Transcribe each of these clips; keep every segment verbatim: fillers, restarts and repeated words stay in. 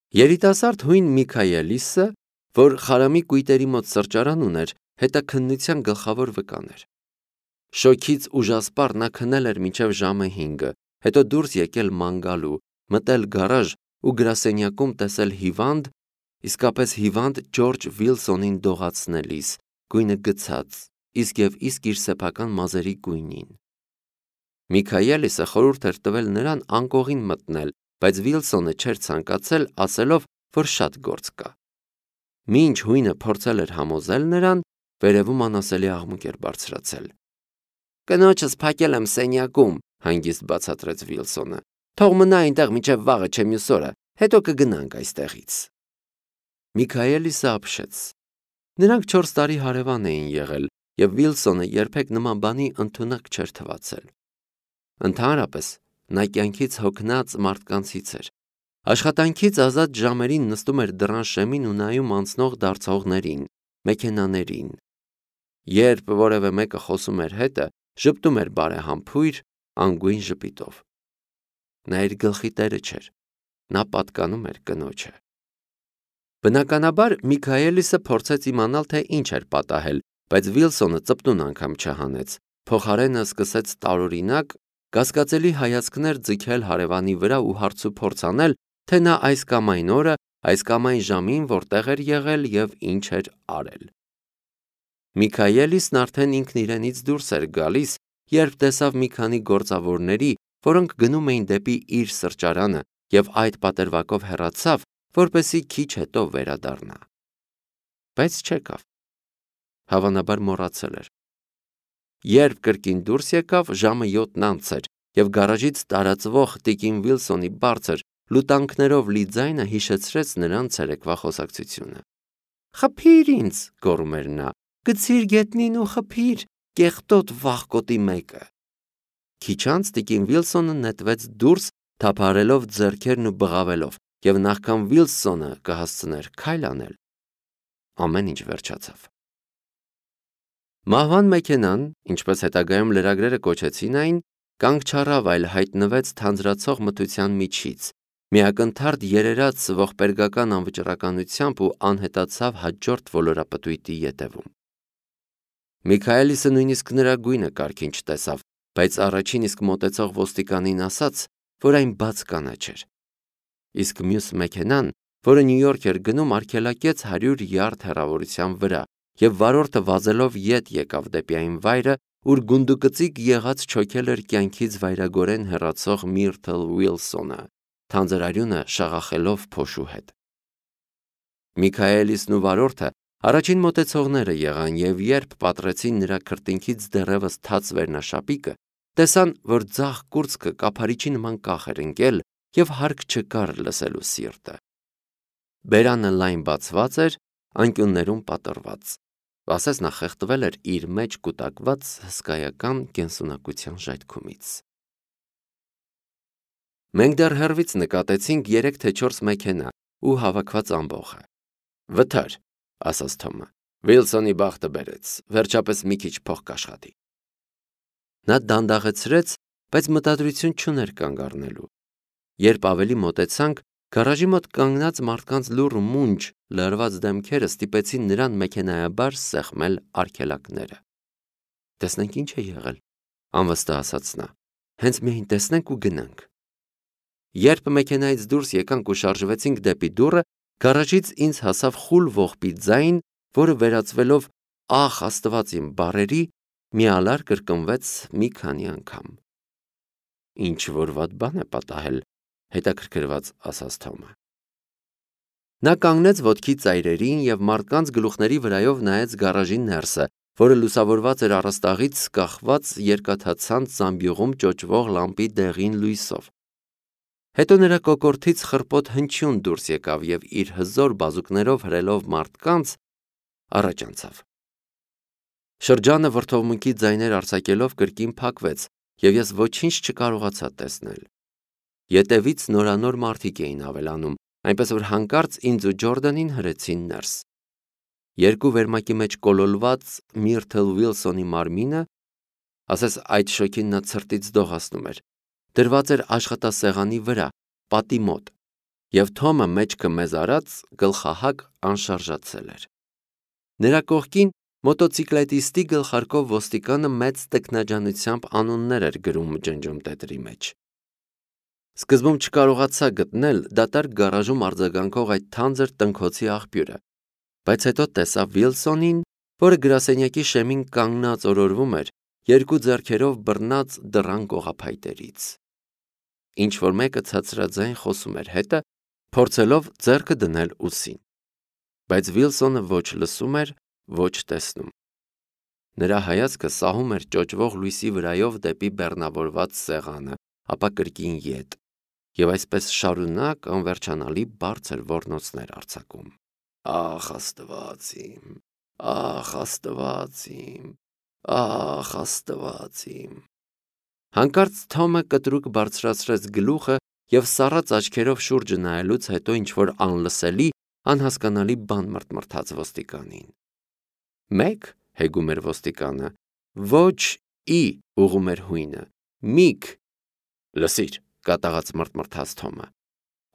Երիտասարդ հույն Միքայելիսը, որ խարամի կույտերի մոտ սրճարան ուներ, հետաքննության գլխավոր վկան էր։ Շոքից ուժասպառ նա քնել էր մինչև ժամը հինգը, հետո դուրս եկել ման գալու, մտել գարաժ ու գրասենյակում տեսել հիվանդ, իսկապես հիվանդ Ջորջ Վիլսոնին դողացնելիս, գույնը գցած, իսկ և իսկ իր սեփական մազերի գույնին։ Միքայելիսը խորհուրդ էր տվել նրան անկողին մտնել, բայց Վիլսոնը չէր ցանկացել, ասելով, որ շատ գործ կա։ Մինչ հույնը փորձել էր համոզել նրան, վերևում անասելի աղմուկ էր բարձրացել։ Կնոջս փակել եմ սենյակում, հանգիստ բացատրեց Վիլսոնը։ Թող մնա այնտեղ մինչև վաղը չէ մյուս օրը, հետո կգնանք այստեղից։ Միքայելիսը ապշեց։ Նրանք չորս տարի հարևան էին եղել, և Վիլսոնը երբեք նման բանի ընդունակ չէր թվացել։ Ընդհանրապես, նա կյանքից հոգնած մարդկանցից էր։ Աշխատանքից ազատ ժամերին նստում էր դռան շեմին ու նայում անցնող դարձողներին, մեքենաներին։ Երբ որևէ մեկը խոսում էր հետը, ժպտում էր բարեհամբույր, անգույն ժպիտով։ Նա իր գլխի տերը չէր, նա պատկանում էր կնոջը։ Բնականաբար Միքայելիսը փորձեց իմանալ, թե ինչ էր պատահել, բայց Վիլսոնը ծպտուն անգամ չհանեց, փոխարենը սկսեց տարօրինակ, կասկածելի հայացքներ ձգել հարևանի վրա ու հարցուփորձ անել, թե նա այս կամ այն օրը, այս կամ այն ժամին որտեղ էր եղել և ինչ էր արել։ Միքայելիսն արդեն ինքն իրենից դուրս էր գալիս, երբ տեսավ մի քանի գործավորների, որոնք գնում էին դեպի իր սրճարանը, և այդ պատրվակով հեռացավ, որպեսզի քիչ հետո վերադառնա։ Բայց չեկավ։ Հավանաբար մոռացել էր։ Երբ կրկին դուրս եկավ, ժամը յոթն անց էր, և գարաժից տարածվող տիկին Վիլսոնի բարձր, լուտանքներով լի ձայնը հիշեցրեց նրան ցերեկվա խոսակցությունը։ Խփի՛ր ինձ, գոռում էր նա, գցի՛ր գետնին ու խփի՛ր, կեղտոտ վախկոտի մեկը։ Քիչ անց տիկին Վիլսոնը նետվեց դուրս, թափահարելով ձեռքերն ու բղավելով, և նախքան Վիլսոնը կհասցներ քայլ անել, ամեն ինչ վերջացավ։ Մահվան մեքենան, ինչպես հետագայում լրագրերը կոչեցին այն, կանգ չառավ, այլ հայտնվեց թանձրացող մթության միջից, միակնթարթ երերաց ողբերգական անվճռականությամբ ու անհետացավ հաջորդ ոլորապտույտի ետևում։ Միքայելիսը նույնիսկ նրա գույնը կարգին չտեսավ, բայց առաջին իսկ մոտեցող ոստիկանին ասաց, որ այն բաց կանաչ էր։ Իսկ մյուս մեքենան, որը Նյու Յորք էր գնում, արգելակեց հարյուր յարդ հեռավորության վրա, և վարորդը վազելով ետ եկավ դեպի այն վայրը, ուր գունդուկծիկ եղած չոքել էր կյանքից վայրագորեն հեռացող Միրթլ Վիլսոնը, թանձրարյունը շաղախելով փոշու հետ։ Միքայելիսն ու վարորդը առաջին մոտեցողները եղան, և երբ պատռեցին նրա քրտինքից դեռևս թաց վերնաշապիկը, տեսան, որ ձախ կուրծքը կափարիչի նման կախ էր ընկել և հարկ չկար լսելու սիրտը։ Բերանը լայն բացված էր, անկյուններում պատռված, ասես նա խեղդվել էր իր մեջ կուտակված հսկայական կենսունակության ժայթքումից։ Մենք դեռ հեռվից նկատեցինք երեք թե չորս մեքենա ու հավաքված ամբոխը։ Վթար, ասաց Թոմը, Վիլսոնի բախտը բերեց, վերջապես մի քիչ փող կաշխատի։ Նա դանդաղեցրեց, բայց մտադրություն չուներ կանգ առնելու։ Երբ ավելի մոտեցանք, գարաժի մոտ կանգնած մարդկանց լուռ մունջ լարված դեմքերը ստիպեցին նրան մեքենայաբար սեղմել արգելակները։ Տեսնենք ինչ է եղել, անվստահ ասաց նա, հենց միայն տեսնենք ու գնանք։ Երբ մեքենայից դուրս եկանք ու շարժվեցինք դեպի դուռը, գարաժից ինձ հասավ խուլ ողբի ձայն, որը վերածվելով «Ախ, Աստված իմ» բառերի, միալար կրկնվեց մի քանի անգամ։ Ինչ-որ վատ բան է պատահել, հետաքրքրված ասաց Թոմը։ Նա կանգնեց ոտքի ծայրերին և մարդկանց գլուխների վրայով նայեց գարաժի ներսը, որը լուսավորված էր առաստաղից կախված երկաթացանց զամբյուղում ճոճվող լամպի դեղին լույսով։ Հետո նրա կոկորդից խռպոտ հնչյուն դուրս եկավ և իր հզոր բազուկներով հրելով մարդկանց, առաջ անցավ։ Շրջանը վրդովմունքի ձայներ արձակելով կրկին փակվեց, և ես ոչինչ չկարողացա տեսնել։ Ետևից նորանոր մարդիկ էին ավելանում, այնպես որ հանկարծ ինձ ու Ջորդանին հրեցին ներս։ Երկու վերմակի մեջ կոլորված Միրթլ Վիլսոնի մարմինը, ասես այդ շոգին նա ցրտից դողացնում էր, դրված էր աշխատասեղանի վրա, պատի մոտ, և Թոմը մեջքը մեզ արած գլխահակ անշարժացել էր։ Նրա կողքին մոտոցիկլետիստի գլխարկով ոստիկանը մեծ տքնաջանությամբ անուններ էր գրում ջնջում տետրի մեջ։ Սկզբում չկարողացա գտնել դատարկ գարաժում արձագանքող այդ թանձր տնքոցի աղբյուրը, բայց հետո տեսա Վիլսոնին, որը գրասենյակի շեմին կանգնած օրորվում էր, երկու ձեռքերով բռնած դռան կողափայտերից։ Ինչ-որ մեկը ցածրաձայն խոսում էր հետը, փորձելով ձեռքը դնել ուսին։ Բայց Վիլսոնը ոչ լսում էր, ոչ տեսնում։ Նրա հայացքը սահում էր ճոճվող լույսի վրայով դեպի բեռնավորված սեղանը, ապա կրկին ետ, և այսպես շարունակ անվերջանալի բարձր ոռնոցներ արձակում։ Ախ, Աստված իմ, ախ, Աստված իմ, ախ, Աստված իմ։ Հանկարծ Թոմը կտրուկ բարձրացրեց գլուխը և սառած աչքերով շուրջը նայելուց հետո ինչ-որ անլսելի, անհասկանալի բան մրթմրթաց ոստիկանին։ Մեկ, հեգում էր ոստիկանը, ոչ ի ուղում էր հույնը, միք։ Լսիր, կատաղած մրթմրթաց Թոմը։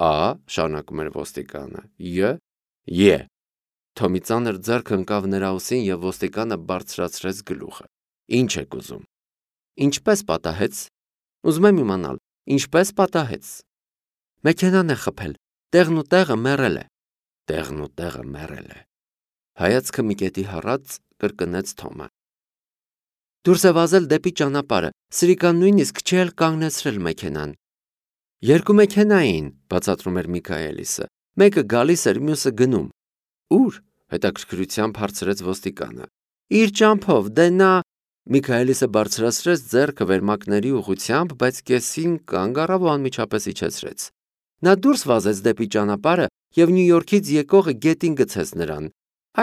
Ա, շարունակում էր ոստիկանը, յ, ե։ Թոմի ծանր ձեռքը ընկավ նրա ուսին և ոստիկանը բարձրացրեց գլուխը։ Ինչ եք ուզում։ Ինչպես պատահեց։ Ուզում եմ իմանալ, ինչպես պատահեց։ Մեքենան է խփել, տեղն ու տեղը մեռել է։ Տեղն ու տեղը մեռել է։ Հայացքը մի կետի հառած կրկնեց Թոմը։ Դուրս է վազել դեպի ճանապարհը, սրիկան նույնիսկ չի էլ կանգնեցրել մեքենան։ Երկու մեքենա էին, բացատրում էր Միքայելիսը։ Մեկը գալիս էր, մյուսը գնում։ Ուր, հետաքրքրությամբ հարցրեց ոստիկանը։ Իր ճամփով, դե նա… Միքայելիսը բարձրացրեց ձեռքը վերմակների ուղղությամբ, բայց կեսին կանգ առավ ու անմիջապես իջեցրեց։ Նա դուրս վազեց դեպի ճանապարհը և Նյու Յորքից եկողը գետին գցեց նրան։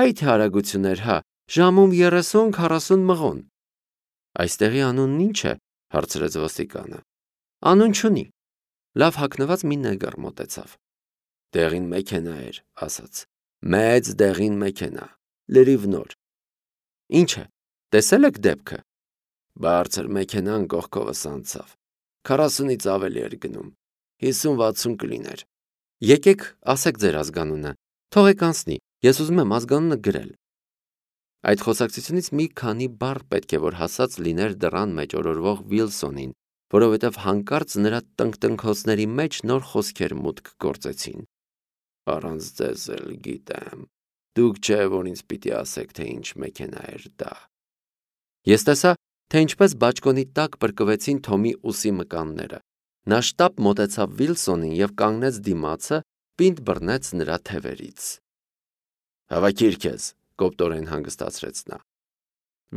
Այ թե արագություն էր, հա, ժամում երեսուն-քառասուն մղոն։ Այստեղի անունն ի՞նչ է, հարցրեց ոստիկանը։ Անուն չունի։ Լավ հագնված մի նեգր մոտեցավ։ Դեղին մեքենա էր, ասաց։ Մեծ դեղին մեքենա, լրիվ նոր։ Ինչ է, տեսել եք դեպքը։ Բարձր մեքենան կողքովս անցավ։ Քառասունից ավելի էր գնում։ հիսուն-վաթսուն կլիներ։ Եկեք, ասեք ձեր ազգանունը։ Թողեք անցնի, ես ուզում եմ ազգանունը գրել։ Այդ խոսակցությունից մի քանի բառ պետք է որ հասած լիներ դռան մեջ օրորվող Վիլսոնին, որովհետև հանկարծ նրա տնկտնքոցների մեջ նոր խոսքեր մուտք գործեցին։ Առանց ձեզ էլ գիտեմ։ Դուք չէ, որ ինձ պիտի ասեք, թե ինչ մեքենա էր դա։ Ես տեսա, թե ինչպես բաճկոնի տակ պրկվեցին Թոմի ուսի մկանները։ Նա շտապ մոտեցավ Վիլսոնին և կանգնեց դիմացը, պինդ բռնեց նրա թևերից։ Հավաքիր քեզ, կոպտորեն հանգստացրեց նա։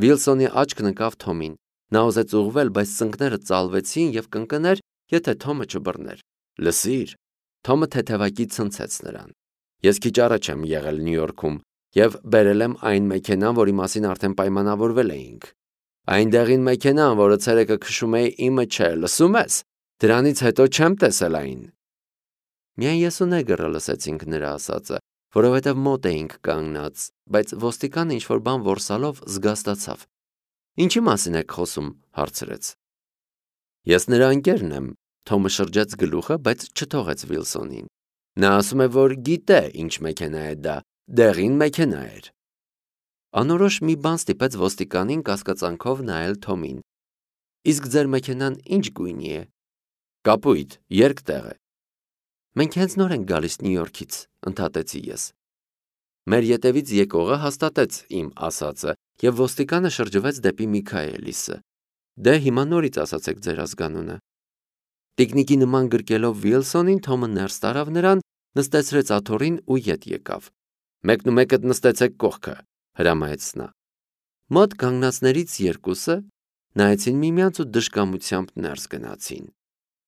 Վիլսոնի աչքն ընկավ Թոմին։ Նա ուզեց ուղղվել, բայց ծնկները ծալվեցին և կընկներ, եթե Թոմը չբռներ։ Լսիր։ Թոմը թեթևակի ցնցեց նրան։ Ես քիչ առաջ եմ եղել Նյու Յորքում և բերել եմ այն մեքենան, որի մասին արդեն պայմանավորվել էինք։ Այն դեղին մեքենան, որը ցերեկը քշում էի, իմը չէ, լսում ես։ Դրանից հետո չեմ տեսել այն։ Միայն ես ու նեգրը լսեցինք նրա ասածը, որովհետև մոտ էինք կանգնած, բայց ոստիկանը ինչ-որ բան որսալով զգաստացավ։ Ինչի մասին եք խոսում, հարցրեց։ Ես նրա ընկերն եմ, Թոմը շրջեց գլուխը, բայց չթողեց Վիլսոնին։ Նա ասում է, որ գիտե, ինչ մեքենա է դա, դեղին մեքենա էր։ Անորոշ մի բան ստիպեց ոստիկանին կասկածանքով նայել Թոմին։ Իսկ ձեր մեքենան ինչ գույնի է։ Կապույտ, երկտեղ է։ Մենք հենց նոր ենք գալիս Նյու Յորքից, ընդհատեցի ես։ Մեր ետևից եկողը հաստատեց իմ ասածը, և ոստիկանը շրջվեց դեպի Միքայելիսը։ Դե հիմա նորից ասացեք ձեր ազգանունը։ Տիկնիկի նման գրկելով Վիլսոնին, Թոմը ներս տարավ նրան, նստեցրեց աթոռին ու ետ եկավ։ Մեկնումեկդ նստեցեք կողքը, հրամայեց նա։ Մոտ կանգնածներից երկուսը նայեցին միմյանց ու դժկամությամբ ներս գնացին։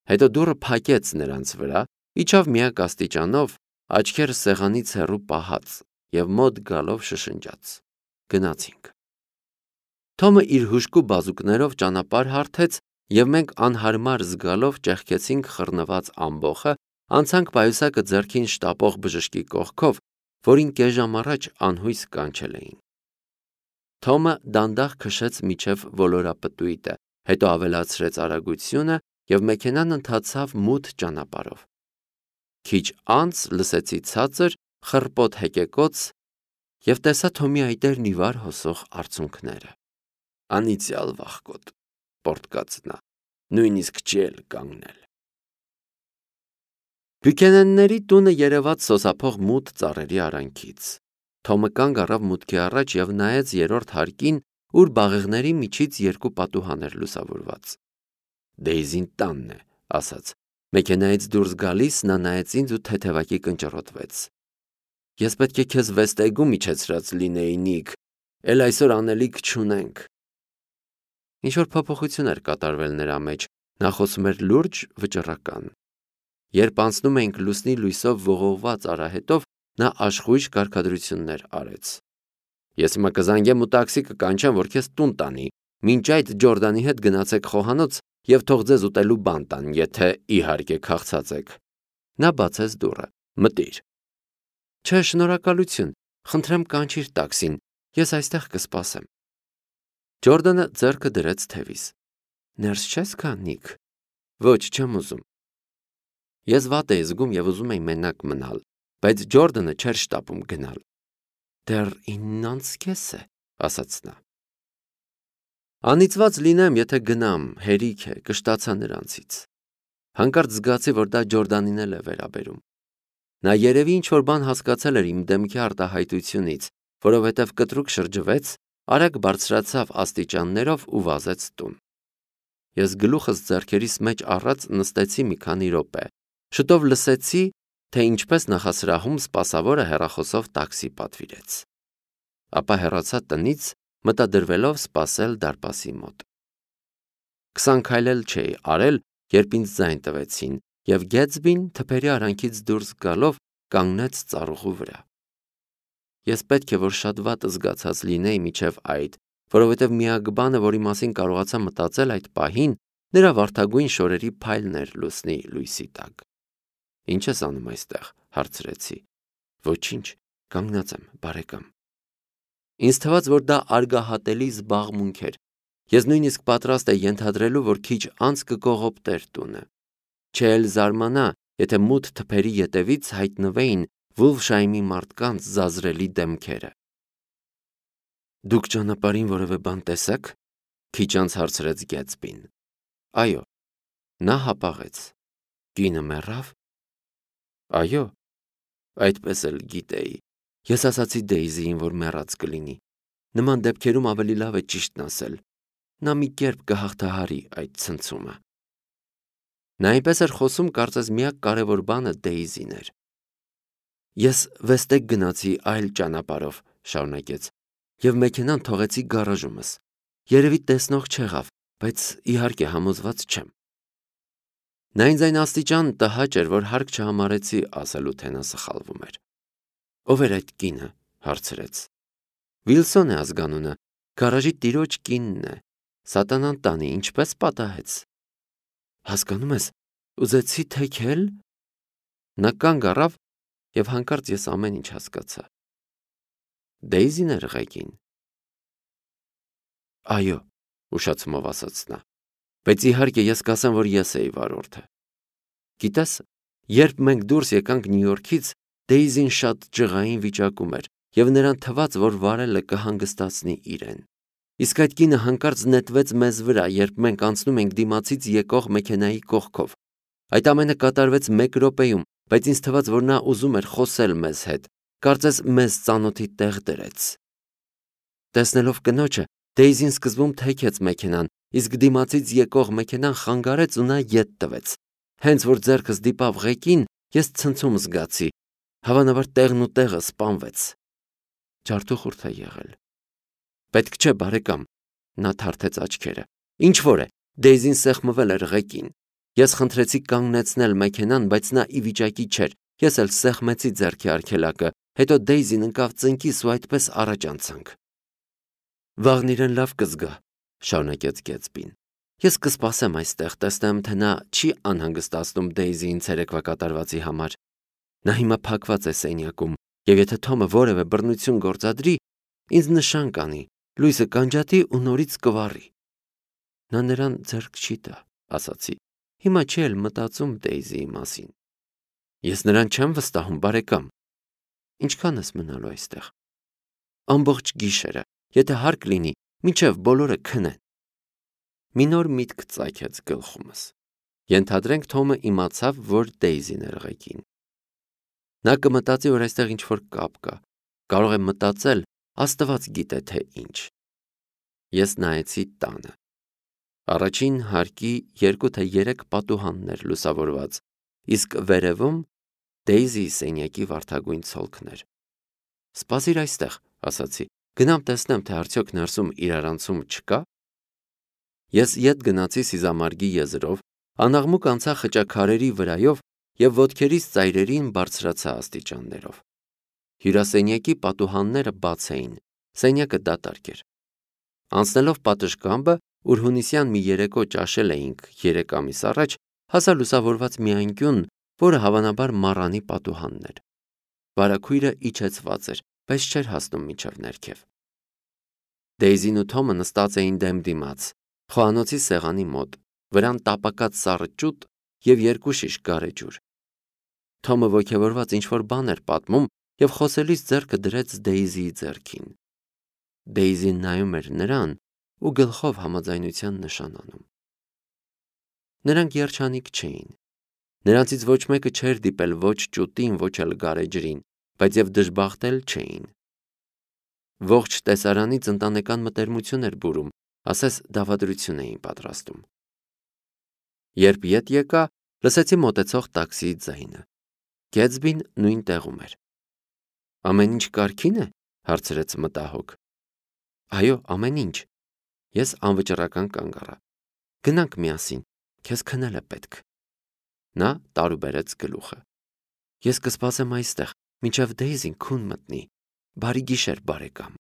Հետո դուռը փակեց նրանց վրա, իջավ միակ աստիճանով, աչքերը սեղանից հեռու պահած և մոտ գալով շշնջաց. Գնացինք։ Թոմը իր հուժկու բազուկներով ճանապարհ հարթեց, և մենք անհարմար զգալով ճեղքեցինք խռնված ամբոխը, անցանք պայուսակը ձեռքին շտապող բժշկի կողքով, որին կես ժամ առաջ անհույս կանչել էին։ Թոմը դանդաղ քշեց մինչև ոլորապտույտը, հետո ավելացրեց արագությունը և մեքենան ընթացավ մութ ճանապարհով։ Քիչ անց լսեցի ցածր, խռպոտ հեկեկոց և տեսա Թոմի այտերն ի վար հոսող արցունքները։ Անիծյալ վախկոտ, պոռթկաց նա, նույնիսկ չի էլ կանգնել։ Բյուքենենների տունը երևաց սոսափող մութ ծառերի արանքից։ Թոմը կանգ առավ մուտքի առաջ և նայեց երրորդ հարկին, ուր բաղեղների միջից երկու պատուհան էր լուսավորված։ Դեյզին տանն է, ասաց։ Մեքենայից դուրս գալիս նա նայեց ինձ ու թեթևակի կնճռոտվեց։ Ես պետք է քեզ վեստեգում իջեցրած լինեի, Նիք, էլ այսօր անելիք չունենք։ Ինչ-որ փոփոխություն էր կատարվել նրա մեջ, նա խոսում էր լուրջ, վճռական։ Երբ անցնում էինք լուսնի լույսով ողողված արահետով, նա աշխույժ կարգադրություններ արեց։ Ես հիմա կզանգեմ ու տաքսի կկանչեմ, որ քեզ տուն տանի, մինչ այդ Ջորդանի հետ գնացեք խոհանոց և թող ձեզ ուտելու բան տան, եթե իհարկե քաղցած եք։ Նա բացեց դուռը։ Մտիր։ Չէ, շնորհակալություն, խնդրեմ կանչիր տաքսին, ես այստեղ կսպասեմ։ Ջորդանը ձեռքը դրեց թևիս։ Ներս չես գա, Նիք։ Ոչ, չեմ ուզում։ Ես վատ էի զգում և ուզում էի մենակ մնալ, բայց Ջորդանը չէր շտապում գնալ։ Դեռ ինն անց կես է, ասաց նա։ Անիծված լինեմ, եթե գնամ, հերիք է, կշտացա նրանցից։ Հանկարծ զգացի, որ դա Ջորդանին էլ է վերաբերում։ Նա երևի ինչ-որ բան հասկացել էր իմ դեմքի արտահայտությունից, որովհետև կտրուկ շրջվեց, արագ բարձրացավ աստիճաններով ու վազեց տուն։ Ես գլուխս ձեռքերիս մեջ առած նստեցի մի քանի րոպե։ Շուտով լսեցի, թե ինչպես նախասրահում սպասավորը հեռախոսով տաքսի պատվիրեց։ Ապա հեռացա տնից, մտադրվելով սպասել դարպասի մոտ։ Քսան քայլ էլ չէի արել, երբ ինձ ձայն տվեցին, և Գեթսբին թփերի արանքից դուրս գալով կանգնեց ծառուղու վրա։ Ես պետք է որ շատ վատ զգացած լինեի մինչև այդ, որովհետև միակ բանը, որի մասին կարողացա մտածել այդ պահին, նրա վարդագույն շորերի փայլն էր լուսնի լույսի տակ։ Ինչ ես անում այստեղ, հարցրեցի։ Ոչինչ, կանգնած եմ, բարեկամ։ Ինձ թվաց, որ դա արգահատելի զբաղմունք էր։ Ես նույնիսկ պատրաստ էի ենթադրելու, որ քիչ անց կկողոպտեր տունը։ Չէ էլ զարմանա, եթե մութ թփերի ետևից հայտնվեին Վուլֆշայմի մարդկանց զազրելի դեմքերը։ Դուք ճանապարհին որևէ բան տեսաք, քիչ անց հարցրեց Գեթսբին։ Այո։ Նա հապաղեց։ Կինը մեռավ։ Այո։ Այդպես էլ գիտեի։ Ես ասացի Դեյզիին, որ մեռած կլինի։ Նման դեպքերում ավելի լավ է ճիշտն ասել։ Նա մի կերպ կհաղթահարի այդ ցնցումը։ Նա այնպես էր խոսում, կարծես միակ կարևոր բանը Դեյզին էր։ Ես վեստեգ գնացի այլ ճանապարհով, շարունակեց, և մեքենան թողեցի գարաժումս։ Երևի տեսնող չեղավ, բայց իհարկե համոզված չեմ։ Նա ինձ այն աստիճան տհաճ էր, որ հարկ չհամարեցի ասելու, թե նա սխալվում էր։ Ո՞վ էր այդ կինը, հարցրեց։ Վիլսոն է ազգանունը, գարաժի տիրոջ կինն է։ Սատանան տանի, ինչպես պատահեց։ Հասկանում ես, ուզեցի թեքել։ Նա կանգ առավ, և հանկարծ ես ամեն ինչ հասկացա։ Դեյզին էր ղեկին։ Այո, ուշացումով ասաց նա, բայց իհարկե ես կասեմ, որ ես էի վարորդը։ Գիտես, երբ մենք դուրս եկանք Նյու Յորքից, Դեյզին շատ ջղային վիճակում էր, և նրան թվաց, որ վարելը կհանգստացնի իրեն։ Իսկ այդ կինը հանկարծ նետվեց մեզ վրա, երբ մենք անցնում ենք դիմացից եկող մեքենայի կողքով։ Այդ ամենը կատարվեց մեկ րոպեում, բայց ինձ թվաց, որ նա ուզում էր խոսել մեզ հետ, կարծես մեզ ծանոթի տեղ դրեց։ Տեսնելով կնոջը, Դեյզին սկզբում թեքեց մեքենան, իսկ դիմացից եկող մեքենան խանգարեց ու նա ետ տվեց։ Հենց որ ձեռքս դիպավ ղեկին, ես ցնցում զգացի։ Հավանաբար տեղն ու տեղը սպանվեց։ Ջարդուխուրդ է եղել։ Պետք չէ, բարեկամ, նա թարթեց աչքերը։ Ինչ որ է, Դեյզին սեղմվել էր ղեկին։ Ես խնդրեցի կանգնեցնել մեքենան, բայց նա ի վիճակի չէր։ Ես էլ սեղմեցի ձեռքի արգելակը, հետո Դեյզին ընկավ ծնկիս ու այդպես առաջ անցանք։ Վաղն իրեն լավ կզգա, շարունակեց Գեթսբին։ Ես կսպասեմ այստեղ, տեսնեմ, թե նա չի անհանգստացնում Դեյզիին ցերեկվա կատարվածի համար։ Նա հիմա փակված է սենյակում, և եթե Թոմը որևէ բռնություն գործադրի, ինձ նշան կանի, լույսը կանջատի ու նորից կվառի։ Նա նրան ձեռք չի տա, ասացի։ Հիմա չի էլ մտածում Դեյզիի մասին։ Ես նրան չեմ վստահում, բարեկամ։ Ինչքան ես մնալու այստեղ։ Ամբողջ գիշերը, եթե հարկ լինի, մինչև բոլորը քնեն։ Մի նոր միտք ծագեց գլխումս։ Ենթադրենք Թոմը իմացավ, որ Դեյզին էր ղեկին։ Նա կմտածի, որ այստեղ ինչ-որ կապ կա։ Կարող է մտածել, Աստված գիտե թե ինչ։ Ես նայեցի տանը։ Առաջին հարկի երկու թե երեք պատուհաններ լուսավորված, իսկ վերևում Դեյզիի սենյակի վարդագույն ցոլքներ։ Սպասիր այստեղ, ասացի, գնամ տեսնեմ, թե արդյոք ներսում իրարանցում չկա։ Ես ետ գնացի սիզամարգի եզրով, անաղմուկ անցա խճաքարերի վրայով և ոտքերիս ծայրերին բարձրացա աստիճաններով։ Հյուրասենյակի պատուհանները բաց էին, սենյակը դատարկ էր։ Անցնելով պատշգամբը, ուր հունիսյան մի երեկո ճաշել էինք երեք ամիս առաջ, հասա լուսավորված մի անկյուն, որը հավանաբար մառանի պատուհանն էր։ Վարագույրը իջեցված էր, բայց չէր հասնում մինչև ներքև։ Դեյզին ու Թոմը նստած էին դեմ դիմաց, խոհանոցի սեղանի մոտ, վրան տապակած սառը ճուտ և երկու շիշ գարեջուր։ Թոմը ոգևորված ինչ-որ բան էր պատմում և խոսելիս ձեռքը դրեց Դեյզիի ձեռքին։ Դեյզին նայում էր նրան ու գլխով համաձայնության նշան անում։ Նրանք երջանիկ չէին։ Նրանցից ոչ մեկը չէր դիպել ոչ ճուտին, ոչ էլ գարեջրին, բայց և դժբախտ էլ չէին։ Ողջ տեսարանից ընտանեկան մտերմություն էր բուրում, ասես դավադրություն էին պատրաստում։ Երբ ետ եկա, լսեցի մոտեցող տաքսիի ձայնը։ Գեթսբին նույն տեղում էր։ Ամեն ինչ կարգին է, հարցրեց մտահոգ։ Այո, ամեն ինչ։ Ես անվճռական կանգ առա։ Գնանք միասին, քեզ քնել է պետք։ Նա տարուբերեց գլուխը։ Ես կսպասեմ այստեղ, մինչև Դեյզին քուն մտնի։ Բարի գիշեր, բարեկամ։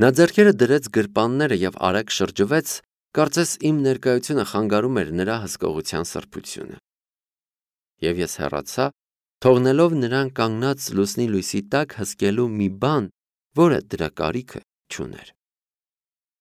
Նա ձեռքերը դրեց գրպանները և արագ շրջվեց, կարծես իմ ներկայությունը խանգարում էր նրա հսկողության սրբությունը։ Եվ ես հեռացա, թողնելով նրան կանգնած լուսնի լույսի տակ հսկելու մի բան, որը դրա կարիքը չուներ։